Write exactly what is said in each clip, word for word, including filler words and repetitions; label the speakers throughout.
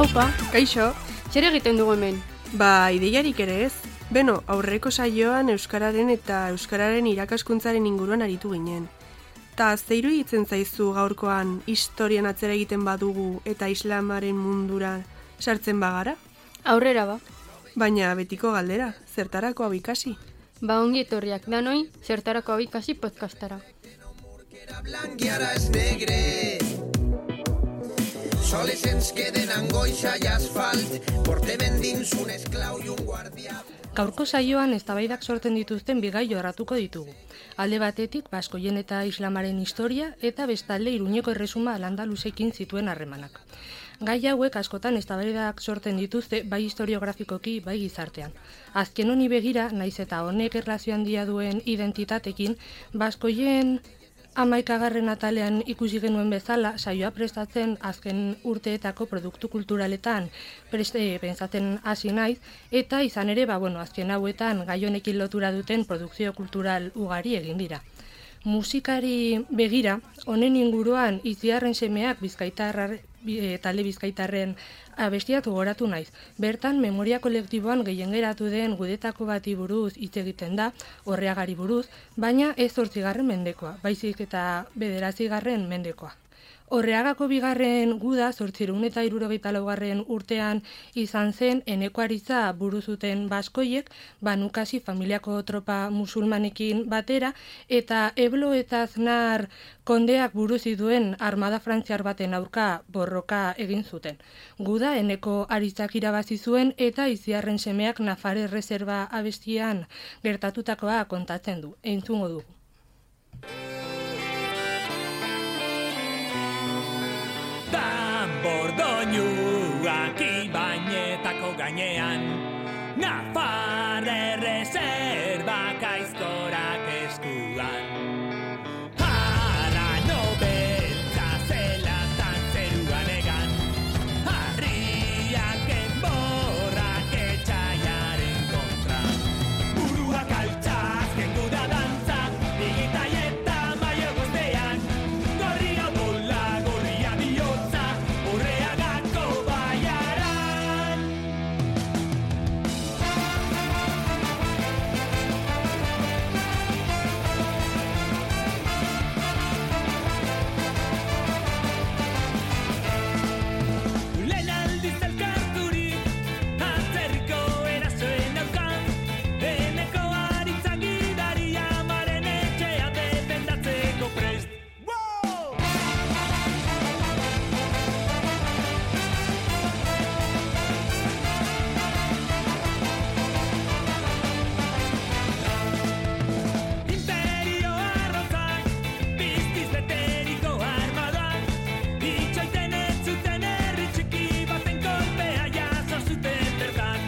Speaker 1: Aupa,
Speaker 2: Kaixo,
Speaker 1: zer egiten dugu hemen?
Speaker 2: ba, ideiarik ere ez. Beno, aurreko saioan Euskararen eta Euskararen irakaskuntzaren inguruan aritu ginen. Ta ze iruditzen zaizu gaurkoan historian atzera egiten badugu eta islamaren mundura sartzen bagara?
Speaker 1: Aurrera ba.
Speaker 2: Baina betiko galdera, zertarako hau ikasi?
Speaker 1: Ba ongi etorriak danoi, zertarako hau ikasi podcastara.
Speaker 3: Blanquiara és negre. Soles ens queden angoixa i asfalt, portem endins un esclau i un guardià.
Speaker 4: Gaurko saioan eztabaidak sortzen dituzten bigai jorratuko ditugu. Alde batetik baskoien eta islamaren historia eta bestalde Iruñeko erresuma Al-Andalusekin zituen harremanak. Gai hauek askotan eztabaidak sortzen dituzte bai historiografikoki bai gizartean. Azken honi begira, naiz eta honek erlazio handia duen identitatekin, baskoien hamaikagarren atalean ikusi genuen bezala, saioa prestatzen azken urteetako produktu kulturaletan preste, pentsatzen hasi naiz, eta izan ere, ba, bueno, azken hauetan gai honekin lotura duten produkzio kultural ugari egin dira. Musikari begira, honen inguruan Itziarren semeak bizkaitarra, e, talde bizkaitarren abestiatu goratu naiz. Bertan, memoria kolektiboan gehien geratu den gudetako bati buruz hitz egiten da, Orreagari buruz, baina ez zortzigarren mendekoa, baizik eta bederatzigarren mendekoa. Orreagako bigarren guda zortziehun eta hirurogeita laugarren urtean izan zen Eneko Aritza buru zuten baskoiek, Banukasi familiako tropa musulmanekin batera, eta Eblo eta Aznar kondeak buru zituen armada frantziar baten aurka borroka egin zuten. Guda Eneko Aritzak irabazi zuen eta Itziarren semeak Nafar erreserba abestian gertatutakoa kontatzen du. Entzungo dugu.
Speaker 5: Bordoinuak ibainetako gainean, Nafar erreserbak aizkorak eskuan. Harano beltza zelatan zeruan egan, harriak enborrak etxaiaren kontra. Buruak altxaz, kendu da dantza, digitai eta maio guztean, gorria bola, gorria bihotza, Orreagako baiaran. Lehen aldiz elkarturik, atzerriko erasoen aurka, Eneko Aritza gidari amaren etxea defendatzeko prest. Wow! Imperio arrotzak, piztiz beteriko armadak, itxoiten ez zuten herri txiki baten kolpea jaso zuten bertan.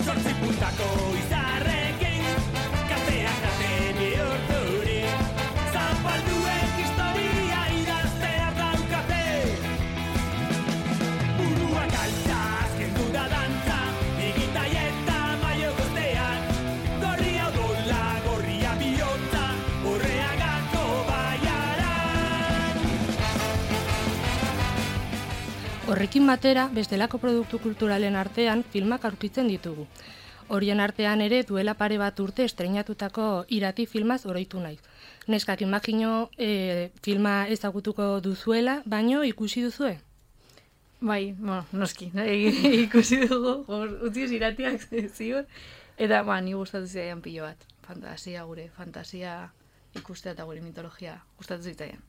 Speaker 5: Zortzi puntako izarrekin, kateak ate bihurturik, zapalduek historia idaztea daukate. Buruak altxaz, kendu da dantza, digitai eta maio guztean, gorria odola, gorria bihotza, Orreagako baiaran.
Speaker 4: Horrekin batera, bestelako produktu kulturalen artean filmak aurkitzen ditugu. Horien artean ere duela pare bat urte estreinatutako Irati filmaz oroitu naiz. Neskak imagino e, filma ezagutuko duzuela, baino ikusi duzue?
Speaker 6: Bai, bueno, noski, ikusi dugu, hor, utziz iratiak ziur, eta ba, ni gustatu zitzaidan pilo bat. Fantasia gure, fantasia ikustea eta gure mitologia gustatu zitzaidan.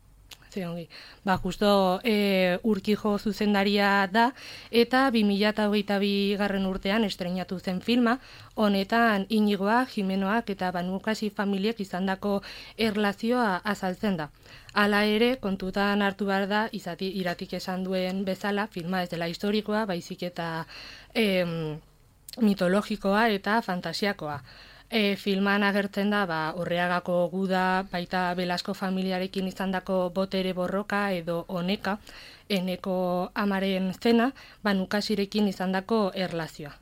Speaker 4: Ze ongi. Ba, justo e, Urkijo zuzendaria da, eta bi mila hogeita bigarren urtean estreinatu zen filma, honetan Inigoa, Jimenoak eta Banukasi familiek izandako erlazioa azaltzen da. Hala ere, kontutan hartu behar da, izati Iratik esan duen bezala, filma ez dela historikoa, baizik eta em, mitologikoa eta fantasiakoa. E, filman agertzen da, ba, Orreagako guda, baita Belasko familiarekin izandako botere borroka edo oneka, Eneko amaren zena, Banukasirekin izandako erlazioa.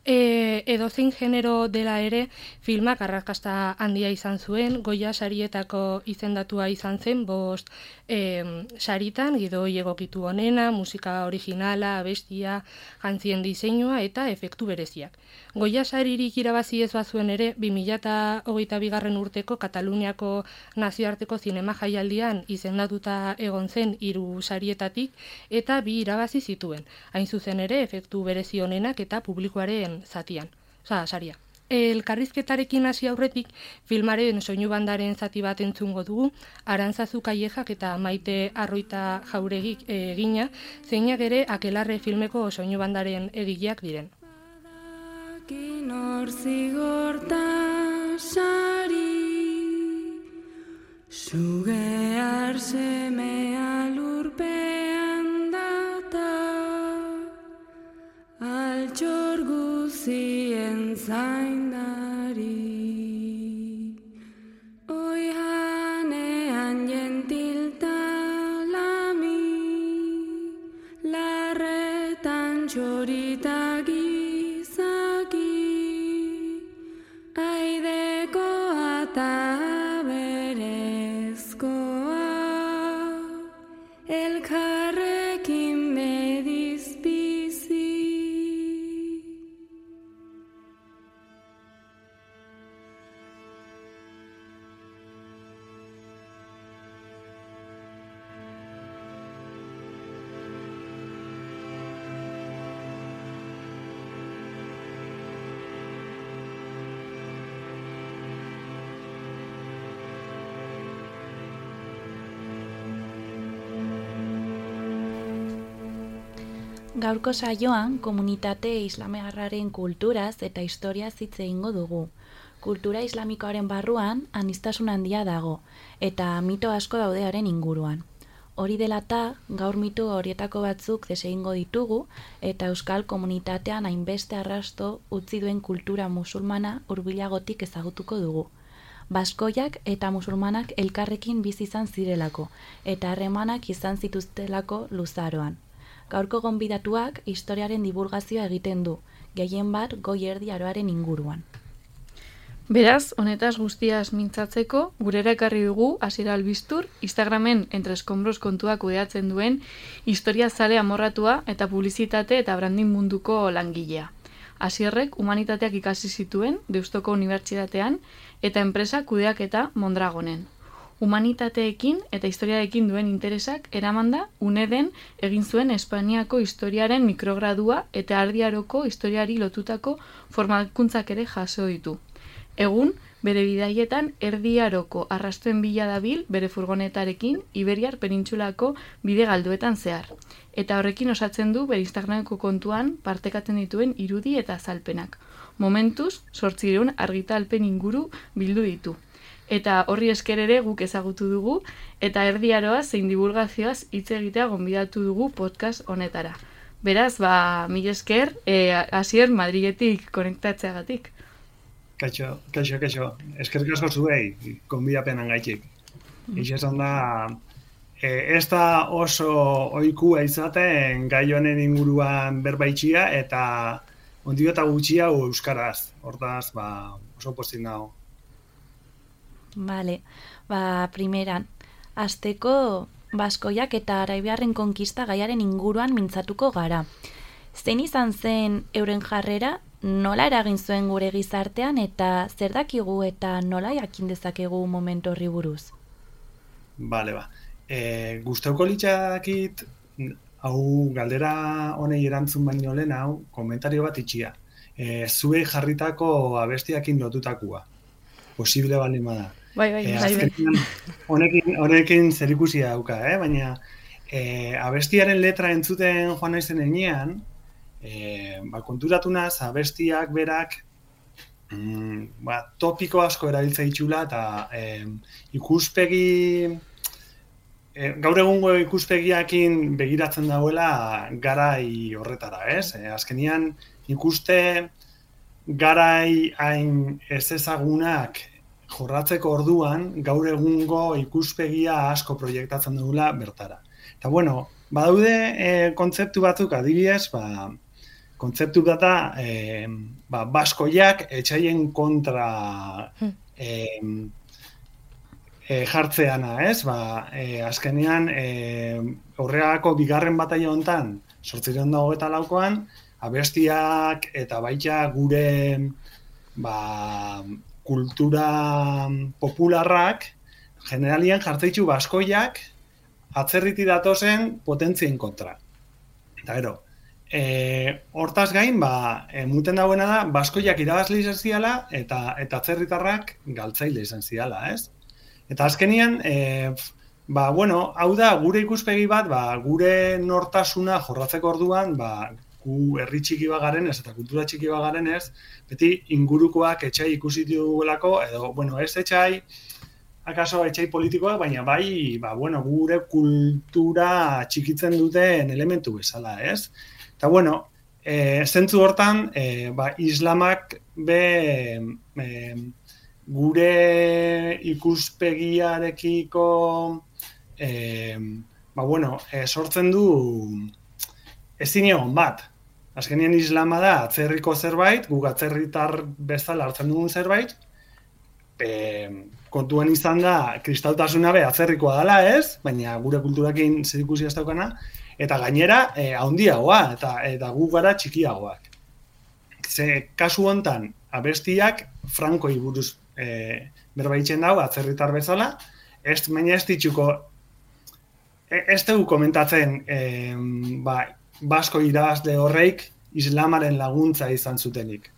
Speaker 4: E, edozein genero dela ere, filmak arrakasta handia izan zuen, Goya sarietako izendatua izan zen, bost e, saritan, gidoi egokitu onena, musika originala, abestia, jantzien diseinua eta efektu bereziak. Goya saririk irabazi ez bazuen ere, bi mila hogeita bigarren urteko Kataluniako nazioarteko zinema jaialdian izendatuta egon zen hiru sarietatik eta bi irabazi zituen. Hain zuzen ere, efektu berezi onenak eta publikoaren zatian, oza, saria. Elkarrizketarekin hasi aurretik, filmaren soinu bandaren zati bat entzungo dugu, Arantzazu Kallejak eta Maite Arroita Jauregik egina, zeinak ere Akelarre filmeko soinu bandaren egileak diren.
Speaker 7: Nor zigorta sari, sugear semea lurpean data, altxor guzien zaindari. Oihanean jentilta lami, larretan txorita gizaki, aideko eta berezkoa, elkarrekin mediz bizi.
Speaker 8: Gaurko saioan, komunitate islamearraren kulturaz eta historiaz hitz egingo dugu. Kultura islamikoaren barruan aniztasun handia dago, eta mito asko daudearen inguruan. Hori dela eta, gaur mito horietako batzuk desegingo ditugu, eta euskal komunitatean hainbeste arrasto utzi duen kultura musulmana hurbilagotik ezagutuko dugu. Baskoiak eta musulmanak elkarrekin bizi izan zirelako, eta harremanak izan zituztelako luzaroan. Gaurko gonbidatuak historiaren divulgazioa egiten du, gehien bat goi erdi aroaren inguruan.
Speaker 6: Beraz, honetaz guztiaz mintzatzeko, gurera ekarri dugu Asier Albistur, Instagramen Entre Escombros kontuak kudeatzen duen historiazale amorratua eta publizitate eta branding munduko langilea. Asierrek humanitateak ikasi zituen Deustoko Unibertsitatean eta enpresa kudeaketa Mondragonen. Humanitateekin eta historiarekin duen interesak eramanda UNEDen egin zuen Espainiako historiaren mikrogradua eta Erdi Aroko historiari lotutako formakuntzak ere jaso ditu. Egun, bere bidaietan Erdi Aroko arrastuen bila dabil bere furgonetarekin Iberiar penintsulako bide galduetan zehar. Eta horrekin osatzen du bere Instagrameko kontuan partekatzen dituen irudi eta azalpenak. Momentuz, zortziehun argitalpen inguru bildu ditu. Eta horri esker ere guk ezagutu dugu, eta Erdi Aroaz zein divulgazioaz hitz egitea gonbidatu dugu podcast honetara. Beraz, ba, mil esker, e, Asier Madriletik konektatzeagatik.
Speaker 9: Kaixo, kaixo, kaixo. Eskerrik asko zuei, gonbidapenan gaitik. Mm. Ixesan da, e, ez da oso ohikua izaten gai honen inguruan berbaitxia, eta ondio eta gutxia euskaraz. Hortaz, ba, oso postik nago.
Speaker 8: Vale, ba, primeran, hasteko Baskoiak eta Araibiarren konkista gaiaren inguruan mintzatuko gara. Zein izan zen euren jarrera, nola eragin zuen gure gizartean eta zer dakigu eta nola jakin dezakegu momentu horri buruz?
Speaker 9: Bale, ba. E, Gustauko litzakit, hau galdera honei erantzun baino lehen hau, komentario bat itxia. E, zuei jarritako abestiakin lotutakua. Posible baldin bada.
Speaker 6: Bai, bai,
Speaker 9: e,
Speaker 6: bai, bai.
Speaker 9: Honekin, honekin zerikusia dauka, eh? Baina e, abestiaren letra entzuten joan naizen enean, e, ba, konturatu naz, abestiak berak mm, ba, topiko asko erabiltza ditxula eta e, ikuspegi e, gaur egungo ikuspegiakin begiratzen dauela garai horretara, ez? E, azkenian ikuste garai hain ez ezagunak jorratzeko orduan, gaur egungo ikuspegia asko proiektatzen dugula bertara. Eta bueno, badaude e, kontzeptu batzuk adibidez, ba, kontzeptu bat da, e, ba, baskoiak etxaien kontra e, e, jartzeana, ez? Ba, e, azkenean, e, horregako bigarren bataila hontan, sortzireun da hogeita laukoan, abestiak eta baita gure ba, kultura popularrak generalian jartzeitzu baskoiak atzerriti datozen potentzien kontra. Eta gero, e, hortaz gain, ba, e, muten dagoena da, baskoiak irabazle izan ziala eta, eta atzerritarrak galtzaile izan ziala, ez? Eta azkenian, e, ba, bueno, hau da, gure ikuspegi bat, ba, gure nortasuna jorratzeko orduan, ba, gu herri txiki bat garenez eta kultura txiki bat garenez, beti ingurukoak etxai ikusi dugulako, edo, bueno, ez etxai, akaso etxai politikoak, baina bai, ba, bueno, gure kultura txikitzen duten elementu bezala, ez? Eta, bueno, e, zentzu hortan, e, ba, islamak be e, gure ikuspegiarekiko e, ba, bueno, e, sortzen du ezin egon bat. Azkenean islama da atzerriko zerbait, guk atzerritar bezala hartzen dugun zerbait, e, kontuan izan da kristautasuna be atzerrikoa dela, ez? Baina gure kulturakin zerikusia ez daukana, eta gainera e, handiagoa eta eta gu gara txikiagoak. Ze kasu hontan abestiak Frankoi buruz e, berbaitzen dau atzerritar bezala, ez baina ez ditzuko ez dugu komentatzen e, ba, basko irabazle horreik islamaren laguntza izan zutenik.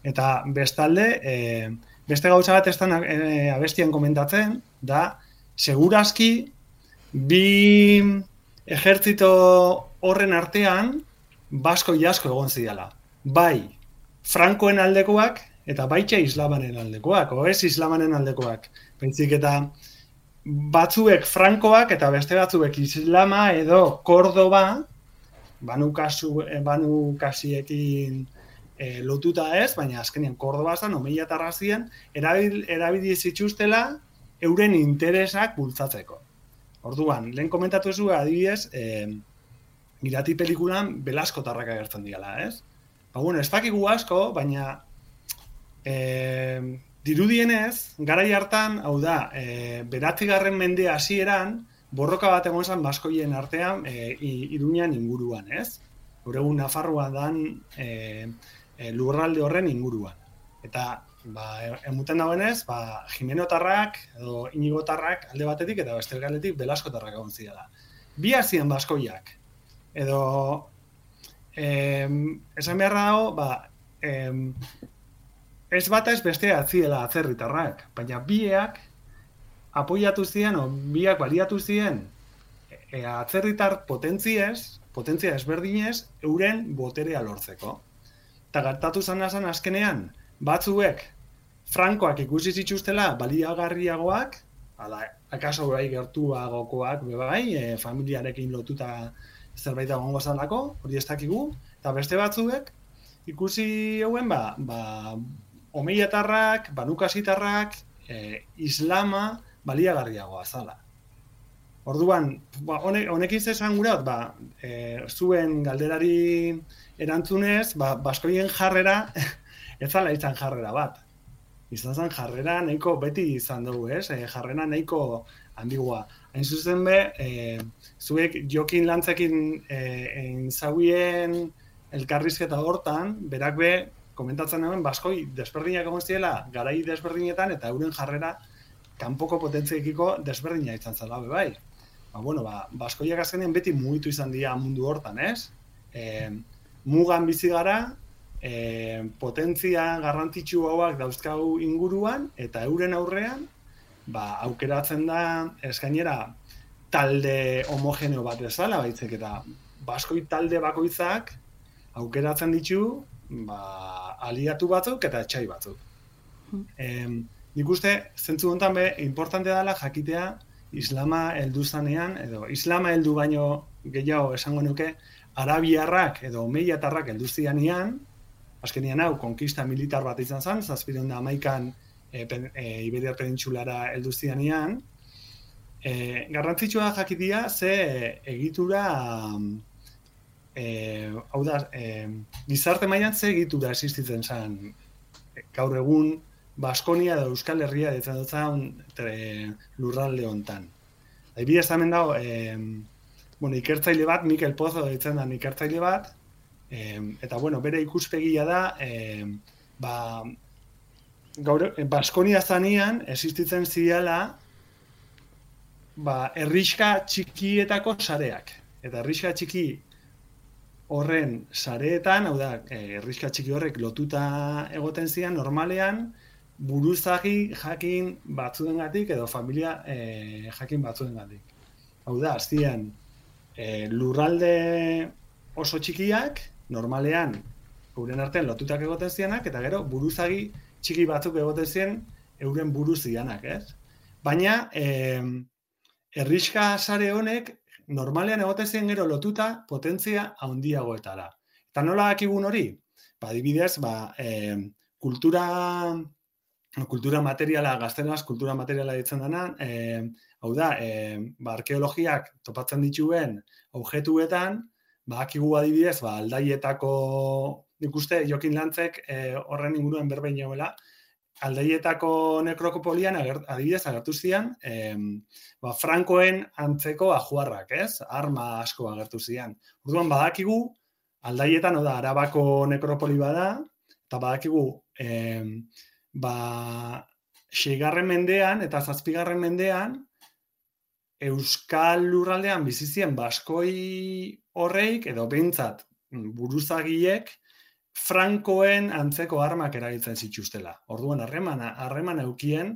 Speaker 9: Eta bestalde, e, beste gauza bat ez da e, abestian komentatzen, da, segurazki, bi ejertzito horren artean, basko jasko egon zidala. Bai, Frankoen aldekoak, eta baitxa islamaren aldekoak, o ez islamaren aldekoak. Pentzik eta batzuek Frankoak, eta beste batzuek islama edo Kordoba, banu, kasu, banu kasiekin e, lotuta ez, baina azkenean Kordoba zan, omeia tarrazien, erabil, erabili zituztela euren interesak bultzatzeko. Orduan, lehen komentatu ez du, adibidez, e, Irati pelikulan Belasko tarrak agertzen diala, ez? Ba, bueno, ez dakigu asko, baina e, dirudienez, garai hartan, hau da, e, beratzigarren mende hasieran, borroka bat egon zen baskoien artean e, Iruñan inguruan, ez? Gaur egun Nafarroa dan e, e, lurralde horren inguruan. Eta, ba, emuten dagoenez, ba, Jimenotarrak edo Inigotarrak alde batetik eta beste aldetik Belaskotarrak egon zidala. Bi hasien baskoiak. Edo, e, esan beharra dago, ba, e, ez bata ez bestea ziela atzerritarrak, baina biak apoiatu ziren, o biak baliatu ziren e, atzerritar potentziez, potentzia ezberdinez, euren boterea lortzeko. Eta gertatu zan azan azkenean, batzuek Frankoak ikusi zituztela baliagarriagoak, ala, akaso bai gertuagokoak, bai, e, familiarekin lotuta zerbait egongo zalako, hori ez dakigu, eta beste batzuek ikusi hauen, ba, ba omeiatarrak, banukasitarrak, e, islama, baliagarriagoa zala. Orduan, ba, honek, honekin zesan gurat, ba, e, zuen galderari erantzunez, ba, baskoien jarrera, ez zala izan jarrera bat. Izan zen jarrera nahiko beti izan dugu, ez? E, jarrera nahiko handigua. Hain zuzen be, e, zuek Jokin Lantzekin e, zauien elkarrizketa hortan, berak be, komentatzen hemen, baskoi desberdinak egon ziela, garai desberdinetan, eta euren jarrera kanpoko potentziekiko desberdina izan zela, bai. Ba, bueno, ba, baskoiak azkenean beti mugitu izan dira mundu hortan, ez? E, mugan bizi gara, e, potentzia garrantzitsu hauak dauzkau inguruan, eta euren aurrean, ba, aukeratzen da, ez gainera, talde homogeneo bat bezala, baitzek, eta baskoi talde bakoitzak aukeratzen ditu, ba, aliatu batzuk eta etxai batzuk. E, Nik uste, zentzu honetan be, importante dela jakitea islama heldu zanean, edo islama heldu baino gehiago esango nuke, arabiarrak edo omeiatarrak heldu zianean, azkenian hau, konkista militar bat izan zen, zazpireun da hamaikan e, e, Iberiar penintsulara heldu zianean, e, garrantzitsua jakitea ze egitura e, hau da, e, gizarte mailan ze egitura existitzen zen gaur egun Baskonia edo Euskal Herria ditzen dutzen lurralde hontan. Adibidez hemen dago, e, bueno, ikertzaile bat, Mikel Pozo ditzen da ikertzaile bat, e, eta bueno, bere ikuspegia da, e, ba, gaur, Baskonia zanean existitzen ziala ba, herrixka txikietako sareak. Eta herrixka txiki horren sareetan, hau da, herrixka txiki horrek lotuta egoten zian, normalean, buruzagi jakin batzuengatik edo familia e, jakin batzuengatik. Hau da, aztian, e, lurralde oso txikiak, normalean, euren artean lotutak egoten zianak, eta gero, buruzagi txiki batzuk egoten zian, euren buruzianak, ez? Baina, e, herrixka sare honek, normalean egoten zian gero lotuta potentzia handiagoetara. Eta nola dakigun hori? Ba, adibidez, ba, e, kultura, kultura materiala, gazteleraz kultura materiala ditzen dena, e, hau da, e, ba, arkeologiak topatzen dituen objektuetan, ba, akigu adibidez, ba, Aldaietako, nik uste, Jokin Lantzek e, horren inguruan berbein joela, Aldaietako nekropolian adibidez agertu zian, e, ba, Frankoen antzeko ajuarrak, ez? Arma asko agertu zian. Orduan badakigu, Aldaietan, oda, Arabako nekropoli bada, eta badakigu, e, ba, seigarren mendean eta zazpigarren mendean, Euskal lurraldean bizizien baskoi horreik, edo behintzat buruzagiek, Frankoen antzeko armak erabiltzen zituztela. Orduan, harremana, harreman eukien,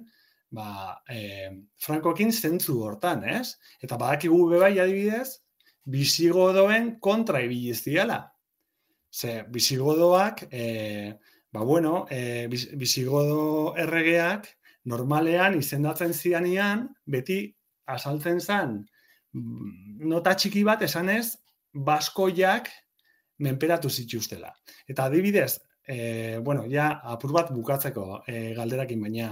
Speaker 9: ba, e, Frankoekin zentzu hortan, ez? Eta badakigu bebai adibidez, bisigodoen kontra ibili ziala. Ze, bisigodoak, e, ba, bueno, e, bisigodo erregeak normalean izendatzen zianian, beti asaltzen zen, nota txiki bat esanez, baskoiak menperatu zituztela. Eta adibidez, e, bueno, ja apur bat bukatzeko e, galderakin, baina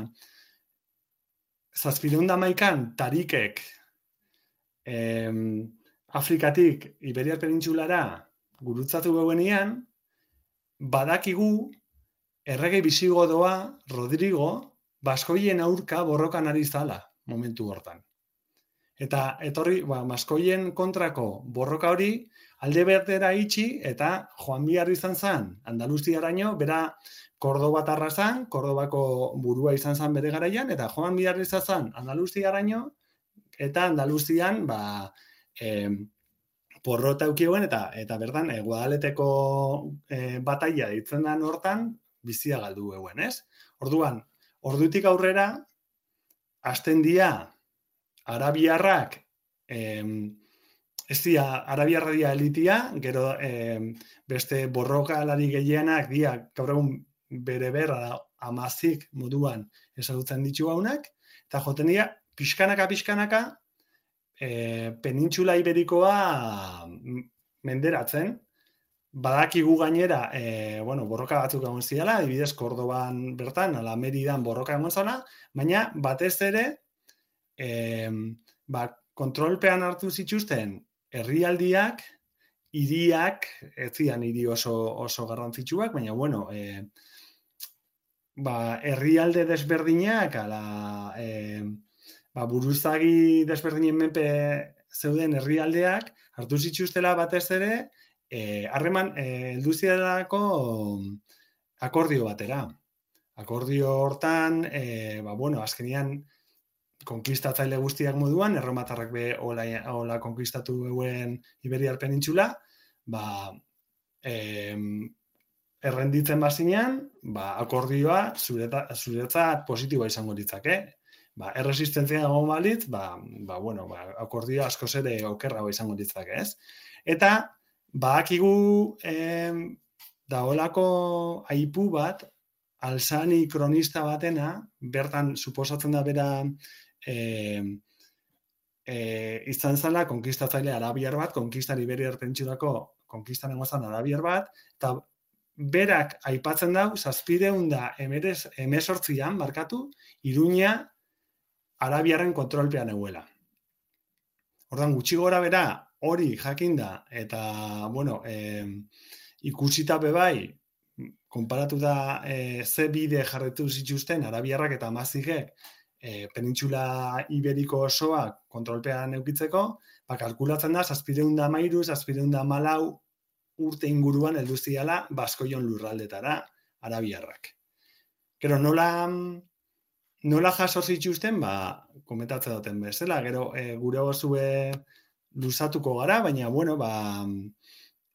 Speaker 9: zazpireun eta hamaikan tarikek e, Afrikatik Iberiar penintsulara gurutzatu geuenean, badakigu errege bisigodoa, Rodrigo, baskoien aurka borrokan ari zala momentu hortan. Eta etorri, ba, baskoien kontrako borroka hori alde bertera itxi eta joan behar izan zen Andaluziaraino, bera Kordobatarra zen, Kordobako burua izan zen bere garaian, eta joan behar izan zen Andaluziaraino, eta Andaluzian, ba, e, porrota eukioen, eta, eta bertan, e, Guadaleteko e, bataila ditzen den hortan, bizia galdu euen, ez? Orduan, ordutik aurrera, hasten dira, arabiarrak, em, ez dira, arabiarra dira elitia, gero em, beste borrokalari gehienak dira, gaur egun bere berra amazik moduan ezagutzen ditu haunak, eta joten dira, pixkanaka, pixkanaka, e, penintxula iberikoa menderatzen, badakigu gainera, e, bueno, borroka batzuk egon ziala, adibidez Kordoban bertan, ala Meridan borroka egon zana, baina batez ere, e, ba, kontrolpean hartu zituzten herrialdiak, hiriak, ez zian hiri oso, oso garrantzitsuak, baina, bueno, e, ba, herrialde desberdinak, ala, e, ba, buruzagi desberdinen menpe zeuden herrialdeak, hartu zituztela batez ere, harreman, e, heldu zirelako akordio batera. Akordio hortan, e, ba, bueno, azkenian konkistatzaile guztiak moduan, erromatarrak be hola, hola konkistatu euen Iberiar penintxula, ba, e, errenditzen bazinean, ba, akordioa zureta, zuretzat positiboa izango ditzake. Ba, erresistentzia egon balitz, ba, ba, bueno, ba, akordioa askoz ere okerrago izango ditzake, ez? Eta, badakigu eh, daolako aipu bat, Alzani kronista batena, bertan suposatzen da bera eh, eh, izan zela konkistatzaile arabiar bat, konkistan Iberiar penintsulako konkistan egozan arabiar bat, eta berak aipatzen dau, zazpireun da emezortzian, markatu, Iruña arabiarren kontrolpean eguela. Ordan gutxi gora bera, hori jakinda, eta, bueno, e, ikusita bebai, konparatuta e, ze bide jarretu zituzten arabiarrak eta amazigek e, penintxula iberiko osoa kontrolpean eukitzeko, ba, kalkulatzen da, zazpireun da mairu, zazpireun da malau urte inguruan heldu ziala Baskoion lurraldetara arabiarrak. Gero, nola, nola jaso zituzten, ba, komentatzen duten bezala, gero e, gure gozue luzatuko gara, baina, bueno, ba,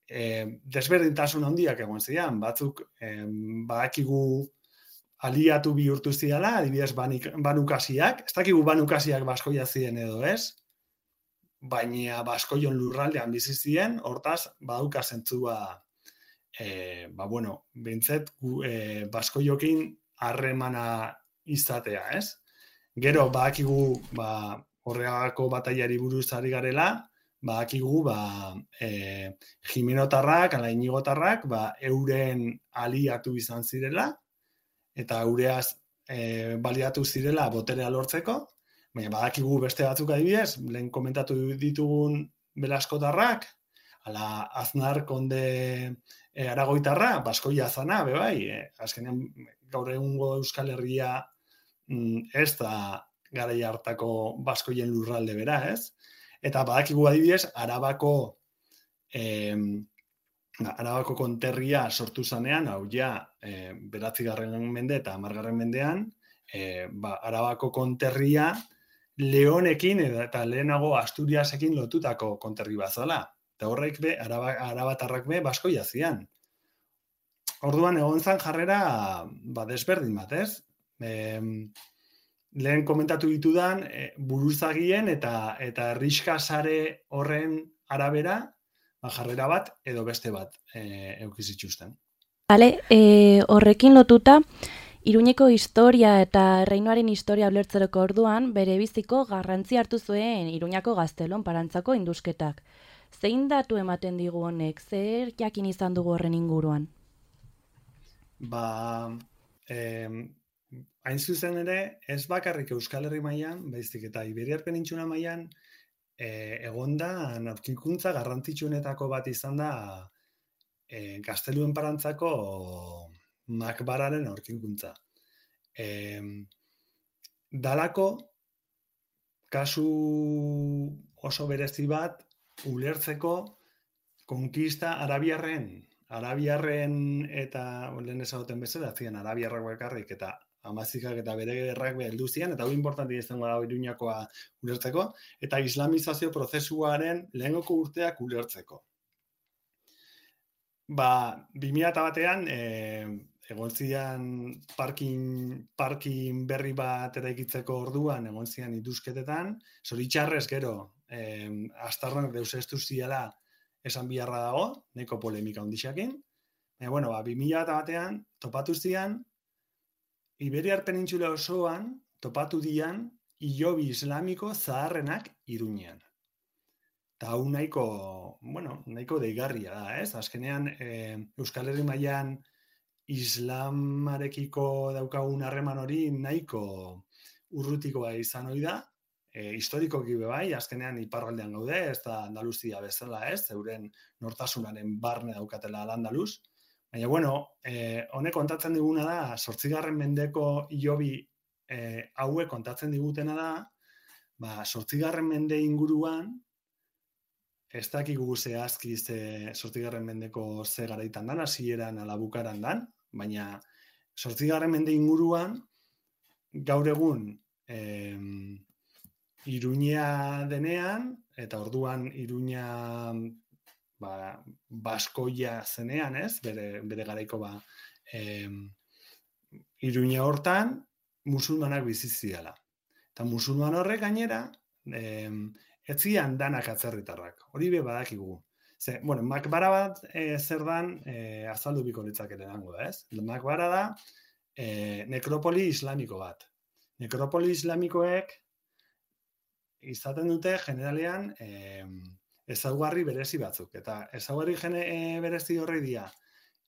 Speaker 9: e, desberdintasun handiak egon zian, batzuk e, badakigu aliatu bihurtu ziala, adibidez banik, banukasiak, ez dakigu banukasiak Baskoia ziren edo ez, baina Baskoion lurraldean bizi ziren, hortaz, badauka zentzua, e, ba, bueno, behintzet, e, Baskoiokin harremana izatea, ez? Gero, badakigu, ba, horregako bataiari buruz ari garela, badakigu, ba, e, Jimenotarrak, ala Inigotarrak, ba, euren aliatu izan zirela, eta eureaz e, baliatu zirela boterea lortzeko, baina badakigu beste batzuk adibidez, lehen komentatu ditugun Belaskotarrak, ala Aznar konde e, Aragoitarra, Baskoia zana, bebai, e, azkenean gaur egungo Euskal Herria mm, ez da garai hartako Baskoien lurralde bera, ez? Eta badakigu adibidez, Arabako eh, Arabako konterria sortu zanean, hau ja, eh, beratzigarren mende eta hamargarren mendean, eh, ba, Arabako konterria Leonekin eta lehenago Asturiasekin lotutako konterri bat zela. Eta horrek be, Araba, Arabatarrak be, Baskoia zian. Orduan egon zan jarrera ba, desberdin bat, ez? E, lehen komentatu ditudan e, buruzagien eta eta herrixkasare horren arabera ba, jarrera bat edo beste bat e, eukizituzten.
Speaker 8: Bale, e, horrekin lotuta, Iruñeko historia eta Erreinuaren historia ulertzeroko orduan bere biziko garrantzi hartu zuen Iruñako Gaztelon parantzako indusketak. Zein datu ematen digu honek? Zer jakin izan dugu horren inguruan?
Speaker 9: Ba, eh, hain zuzen ere, ez bakarrik Euskal Herri mailan, baizik eta Iberiar Penintsula mailan, eh, egonda aurkikuntza garrantzitsuenetako bat izan da eh, Gazteluen parantzako makbararen aurkikuntza. Eh, dalako kasu oso berezi bat ulertzeko konkista arabiarren Arabiarren eta lehen esaten bezala, zian arabiarrak bakarrik eta amazikak eta bere gerrak heldu zian, eta hau importanti izango da Iruñakoa ulertzeko, eta islamizazio prozesuaren lehengoko urteak ulertzeko. Ba, bi mila batean, e, egon zian parkin, parkin berri bat eraikitzeko orduan, egon zian indusketetan, zoritxarrez gero, e, astarnak deuseztu ziala esan biharra dago, nahiko polemika ondixakin. E, bueno, ba, bi mila batean topatu zian, Iberiar Penintsula osoan topatu dian hilobi islamiko zaharrenak Iruñean. Eta hau nahiko, bueno, nahiko deigarria da, ez? Azkenean, e, Euskal Herri mailan islamarekiko daukagun harreman hori nahiko urrutikoa izan ohi da, e, historikoki bai, azkenean iparraldean gaude, ez da Andaluzia bezala, ez? Euren nortasunaren barne daukatela Al-Andaluz. Baina, bueno, eh, honek kontatzen diguna da, zortzigarren mendeko hilobi eh, hauek kontatzen digutena da, ba, zortzigarren mende inguruan, ez dakigu zehazki ze zortzigarren mendeko ze garaitan dan, hasieran ala bukaran dan, baina zortzigarren mende inguruan, gaur egun eh, Iruña denean, eta orduan Iruña ba, Baskoia zenean, ez? Bere, bere garaiko ba, eh, Iruña hortan musulmanak bizi ziala. Eta musulman horrek gainera, eh, ez zian danak atzerritarrak. Hori be badakigu. Ze, bueno, makbara bat eh, zer dan eh, azaldu biko litzakete dango da, ez? Makbara da eh, nekropoli islamiko bat. Nekropoli islamikoek izaten dute generalean eh, ezaugarri berezi batzuk. Eta ezaugarri gene, e, berezi horri dira,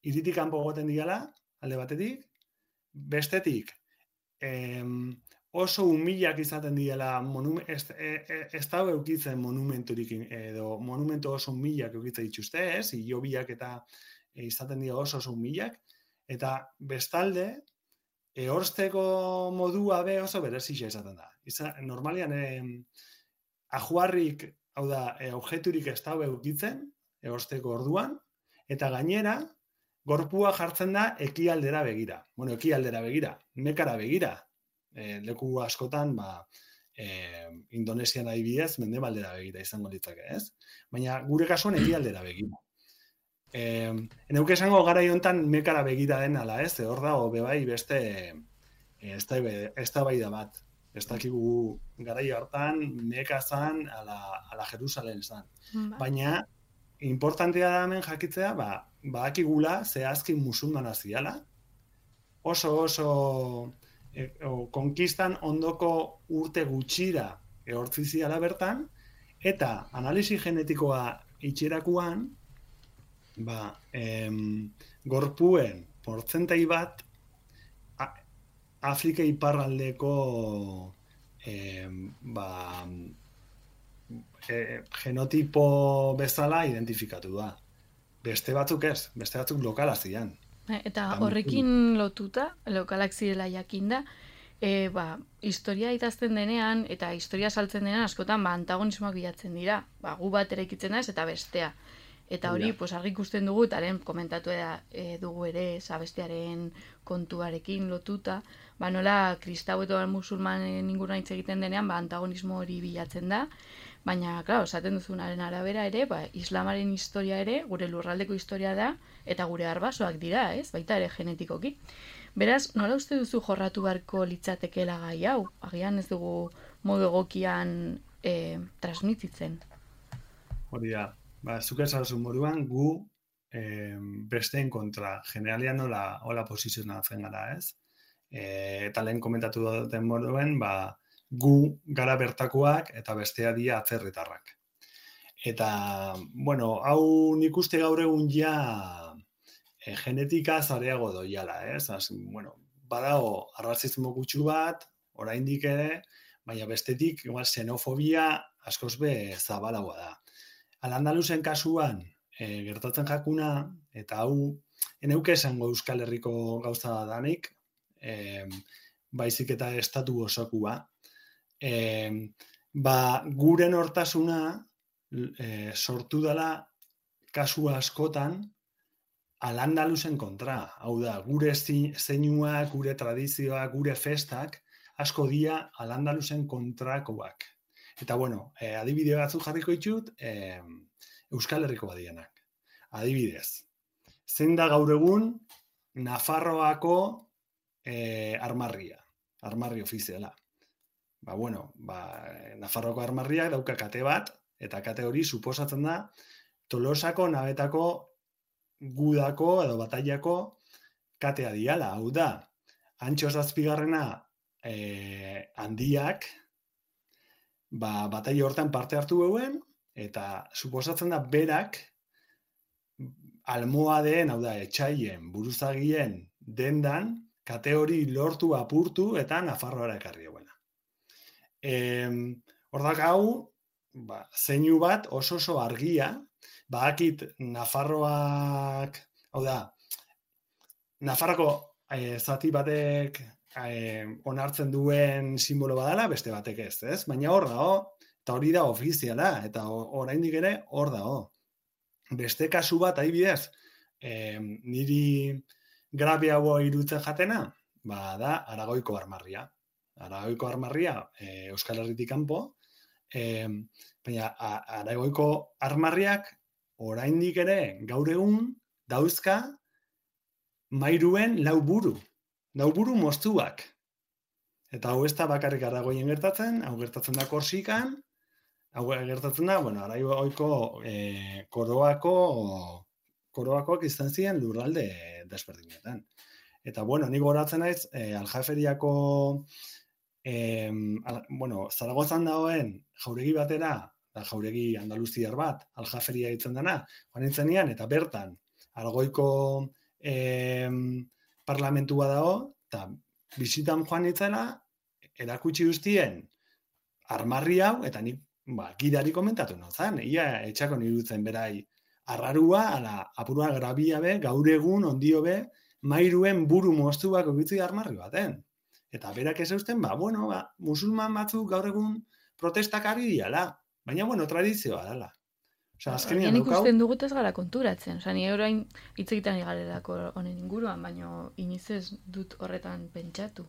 Speaker 9: hiritik kanpo goten diala, alde batetik, bestetik, em, oso humilak izaten diela, monume, ez, ez, ez da eukitzen monumenturik, edo monumentu oso humilak eukitzen dituzte, ez? Hilobiak eta e, izaten dira oso oso humilak, eta bestalde, ehorsteko modua be oso berezixa izaten da. Iza, normalian, e, ajuarrik, hau da, e, objeturik ez da eukitzen, ehorsteko orduan, eta gainera, gorpua jartzen da ekialdera begira. Bueno, ekialdera begira, mekara begira. E, leku askotan, ba, e, Indonesian adibidez, mendebaldera begira izango ditzake, ez? Baina gure kasuan ekialdera begira. E, Eneuke esango gara hontan mekara begira den ala, ez? Hor dago bebai beste e, ez da bai da bat. Ez dakigu garai hartan meka zan ala, ala Jerusalen zan. Ba. Baina importantea da hemen jakitzea, ba, badakigula zehazki musulmana ziala, oso oso e, o, konkistan ondoko urte gutxira ehortzi ziala bertan, eta analisi genetikoa itxerakuan, ba, em, gorpuen portzentai bat a, Afrika iparraldeko em, ba, e, genotipo bezala identifikatu da. Beste batzuk ez, beste batzuk lokala zian.
Speaker 6: Eta horrekin lotuta, lokalak zirela jakinda, e, ba, historia idazten denean eta historia saltzen denean askotan ba, antagonismoak bilatzen dira. Ba, gu bat eraikitzen da eta bestea. Eta hori, pues, argi ikusten dugu, eta lehen komentatu eda, e, dugu ere, zabestearen kontuarekin lotuta, ba, nola kristau eta musulmanen inguruan hitz egiten denean, ba, antagonismo hori bilatzen da, baina, klaro, esaten duzunaren arabera ere, ba, islamaren historia ere, gure lurraldeko historia da, eta gure arbasoak dira, ez? Baita ere genetikoki. Beraz, nola uste duzu jorratu beharko litzatekeela gai hau? Agian ez dugu modu egokian e, transmititzen.
Speaker 9: Hori da. Ba, zuk esan moduan, gu eh, besteen kontra, generalian nola, hola posizionatzen gara, ez? E, eta lehen komentatu duten moduen, ba, gu gara bertakoak eta bestea dia atzerritarrak. Eta, bueno, hau nik uste gaur egun ja e, genetika zareago doiala, ez? Az, bueno, badago arrazismo gutxu bat, oraindik ere, baina bestetik, igual, xenofobia askoz be zabalagoa da. Al-Andalusen kasuan e, gertatzen jakuna, eta hau, eneuke esango Euskal Herriko gauza danik, e, baizik eta estatu osokua, e, ba, gure nortasuna e, sortu dela kasu askotan Al-Andalusen kontra. Hau da, gure zeinuak, gure tradizioak, gure festak, asko dia Al-Andalusen kontrakoak. Eta, bueno, eh, adibide batzuk jarriko ditut, eh, Euskal Herriko badienak. Adibidez, zein da gaur egun Nafarroako eh, armarria, armarri ofiziala. Ba, bueno, ba, Nafarroako armarriak dauka kate bat, eta kate hori suposatzen da Tolosako nabetako gudako edo batailako katea diala. Hau da, Antxo zazpigarrena eh, handiak, ba, bataila hortan parte hartu euen, eta suposatzen da berak almohadeen, hau da, etxaien, buruzagien dendan, kate hori lortu apurtu eta Nafarroara ekarri euena. E, Hordak hau, ba, zeinu bat oso oso argia, badakit Nafarroak, hau da, Nafarroko e, zati batek Eh, onartzen duen simbolo badala, beste batek ez, ez? Baina hor dago, eta hori da ofiziala, eta oraindik ere hor dago. Beste kasu bat, adibidez, eh, niri grabeago irutzen jatena, ba, da Aragoiko armarria. Aragoiko armarria eh, Euskal Herritik kanpo, eh, baina Aragoiko armarriak oraindik ere gaur egun dauzka mairuen lau buru. Nauburu moztuak. Eta hau ez da bakarrik Aragoien gertatzen, hau gertatzen da Korsikan, hau gertatzen da, bueno, Aragoiko e, koroako, koroakoak izan ziren lurralde desberdinetan. Eta, bueno, nik goratzen naiz, e, Aljaferiako, e, al, bueno, Zaragozan dagoen jauregi batera, da jauregi andaluziar bat, Aljaferia ditzen dena, joan nintzen nian, eta bertan, Aragoiko e, parlamentua dago, eta bisitan joan nitzela, erakutsi guztien armarri hau, eta nik ba, gidari komentatu nozan, ia etxako nirutzen berai arrarua, ala, apurua grabia be, gaur egun, ondio be, mairuen buru moztuak ogitzi armarri baten. Eta berak ez eusten, ba, bueno, ba, musulman batzuk gaur egun protestak ari diala, baina, bueno, tradizioa dela. Osa, azkenian
Speaker 6: Horien
Speaker 9: daukau...
Speaker 6: ikusten dugut ez gara konturatzen. Osa, ni orain hitz egiten ari garelako honen inguruan, baina iniz ez dut horretan pentsatu.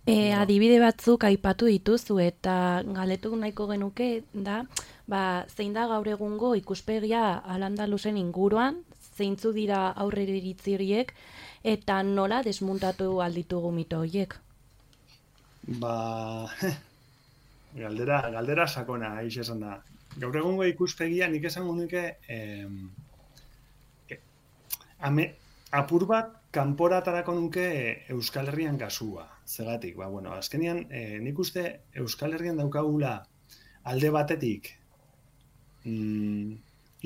Speaker 8: E, adibide batzuk aipatu dituzu eta galetu nahiko genuke da, ba, zein da gaur egungo ikuspegia Al-Andalusen inguruan, zeintzu dira aurrera iritzi horiek, eta nola desmuntatu alditugu mito horiek?
Speaker 9: Ba, galdera, galdera sakona, aiz esan da. Gaur egungo ikuspegia nik esango nuke eh, eh, ame, apur bat kanporatarako nuke Euskal Herrian kasua. Zegatik, ba, bueno, azkenian eh, nik uste Euskal Herrian daukagula alde batetik mm,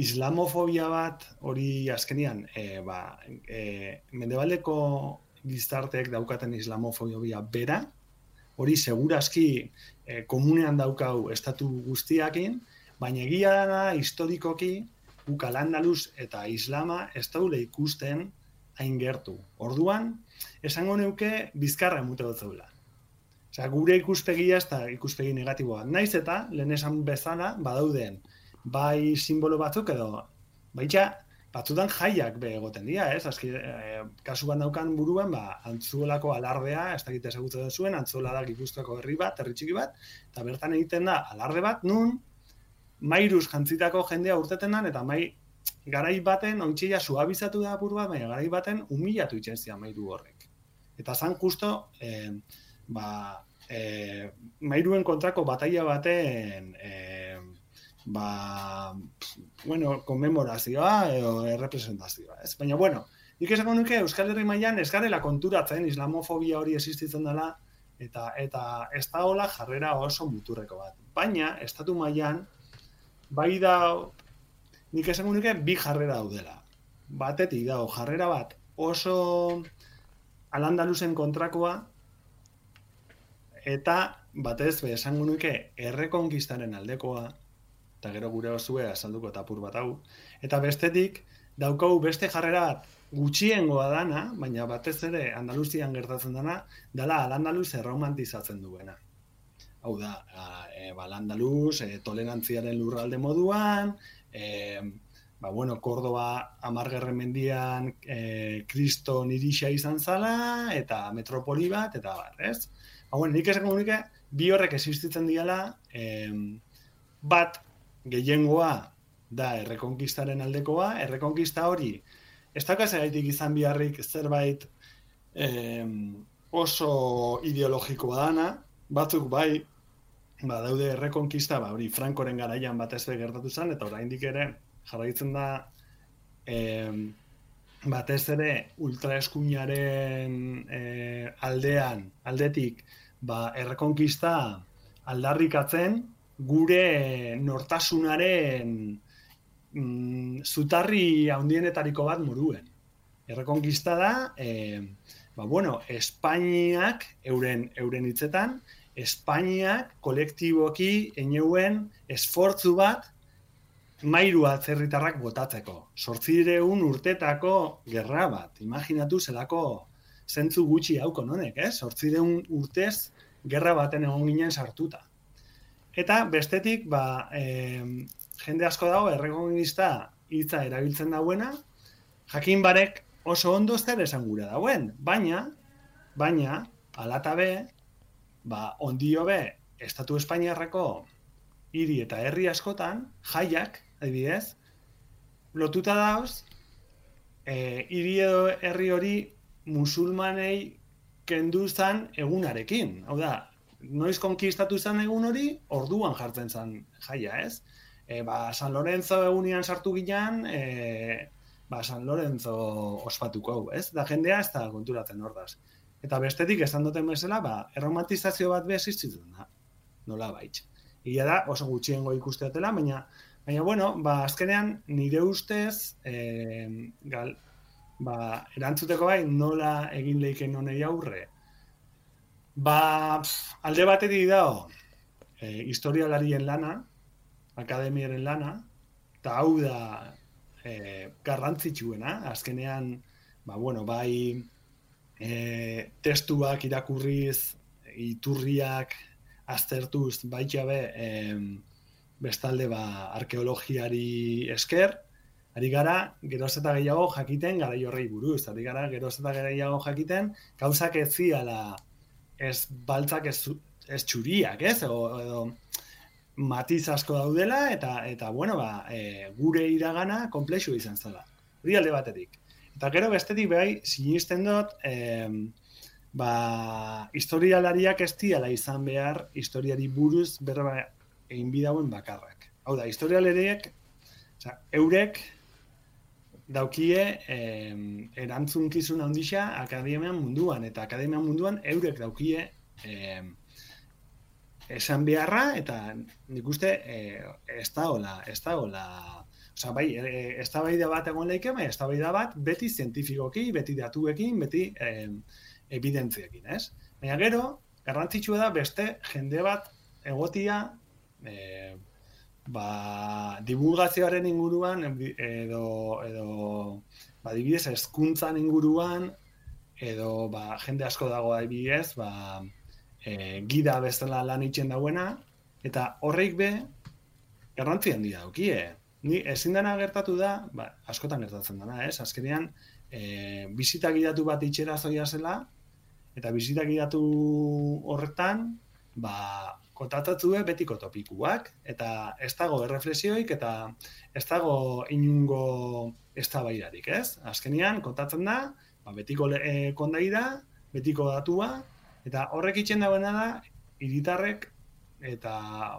Speaker 9: islamofobia bat hori azkenian eh, ba, eh, mendebaldeko gizarteek daukaten islamofobia bera, hori segurazki eh, komunean daukau estatu guztiakin, baina egia dana historikoki guk Al-Andalus eta Islama ez daule ikusten hain gertu. Orduan, esango neuke bizkarra emute dut zeula. Osea, gure ikuspegia ez da ikuspegi negatiboa. Naiz eta, lehen esan bezala, badauden, bai simbolo batzuk edo, baita, batzutan jaiak be egoten dira, ez? Azki, e, kasu bat daukan buruan, ba, Antzuolako alardea, ez dakit ezagutzen zuen, Antzuola da Gipuzkoako herri bat, herri txiki bat, eta bertan egiten da alarde bat, nun, mairuz jantzitako jendea urtetenan, eta mai garai baten, ointxeia suabizatu da apur bat, baina garai baten humilatu itxenzia mairu horrek. Eta zan justo, eh, ba, eh, mairuen kontrako bataila baten, eh, ba, bueno, konmemorazioa edo errepresentazioa, ez? Baina, bueno, nik esango nuke Euskal Herri mailan ez garela konturatzen islamofobia hori existitzen dela, eta eta ez da hola jarrera oso muturreko bat. Baina, estatu mailan, bai da, nik esango nuke bi jarrera daudela. Batetik dago jarrera bat oso Al-Andalusen kontrakoa, eta batez be esango nuke errekonkistaren aldekoa, eta gero gure osue azalduko eta apur bat hau, eta bestetik daukau beste jarrera bat gutxiengoa dana, baina batez ere Andaluzian gertatzen dana, dela Al-Andalus erromantizatzen duena. Hau da, e, ba, Al-Andalus, e, tolerantziaren lurralde moduan, e, ba, bueno, Kordoba amargarren mendian e, kriston irixa izan zala, eta metropoli bat, eta bar, ez? Ba, bueno, nik esango nuke, bi horrek existitzen diala, e, bat gehiengoa da errekonkistaren aldekoa, errekonkista hori, ez daukaz egaitik izan biharrik zerbait e, oso ideologikoa dana, batzuk bai, ba, daude errekonkista, ba, hori Frankoren garaian batez be gertatu zen, eta oraindik ere jarraitzen da eh, batez ere ultraeskuinaren eh, aldean, aldetik, ba, errekonkista aldarrikatzen gure nortasunaren mm, zutarri handienetariko bat moruen. Errekonkista da, eh, ba, bueno, Espainiak, euren, euren hitzetan, Espainiak kolektiboki eneuen esfortzu bat mairu atzerritarrak botatzeko. Zortzireun urtetako gerra bat. Imaginatu zelako zentzu gutxi hauko nonek, eh? Zortzireun urtez gerra baten egon ginen sartuta. Eta bestetik, ba, e, jende asko dago errekonkista hitza erabiltzen dauena, jakin barek oso ondo zer esan gura dauen, baina, baina, alatabe, ba, ondio be, Estatu Espainiarrako hiri eta herri askotan, jaiak, adibidez, lotuta dauz, e, hiri edo herri hori musulmanei kendu zan egunarekin. Hau da, noiz konkistatu zan egun hori, orduan jartzen zan jaia, ez? E, ba, San Lorenzo egunian sartu ginean, e, ba, San Lorenzo ospatuko hau, ez? Da jendea ez da konturatzen ordaz. Eta bestetik, esan duten bezala, ba, erromantizazio bat be existitzen da, nola baitz. Ia da, oso gutxiengo ikusteatela, baina, baina, bueno, ba, azkenean, nire ustez, e, gal, ba, erantzuteko bai, nola egin leiken honei aurre, Ba, pff, alde batetik dago, e, historialarien lana, akademiaren lana, eta hau da e, garrantzitsuena, azkenean, ba, bueno, bai e, testuak irakurriz, iturriak aztertuz, baita be, e, bestalde ba, arkeologiari esker, ari gara geroz eta gehiago jakiten garai horrei buruz, ari gara geroz eta gehiago jakiten gauzak ez ziala ez baltzak ez, ez txuriak, ez? O, edo matiz asko daudela eta eta bueno, ba, e, gure iragana konplexu izan zela. Hori alde batetik. Eta gero bestetik bai sinisten dut e, ba, historialariak ez diala izan behar historiari buruz berba egin bidauen bakarrak. Hau da, historialariek Osa, eurek daukie eh, erantzunkizun handia akademian munduan, eta akademian munduan eurek daukie eh, esan beharra, eta nik uste eh, ez da hola, ez da hola, osa, bai, ez da bai da bat egon leike, bai, ez da bai da bat beti zientifikoki, beti datuekin, beti eh, evidentziekin, ez? Baina gero, garrantzitsua da beste jende bat egotia eh, ba, divulgazioaren inguruan edo, edo ba, adibidez, hezkuntzan inguruan edo ba, jende asko dago adibidez, ba, e, gida bezala lan itzen dauena, eta horreik be garrantzi handia daukie. Ni ezin dena gertatu da, ba, askotan gertatzen dena, ez? Azkenean, e, bisita gidatu bat itxera zoia zela, eta bisita gidatu horretan, ba, kontatzatue betiko topikuak, eta ez dago erreflexioik, eta ez dago inungo eztabaidarik, ez? Azkenean, kontatzen da, ba, betiko e, kondaira, betiko datua, eta horrek itxen dagoena da, hiritarrek eta,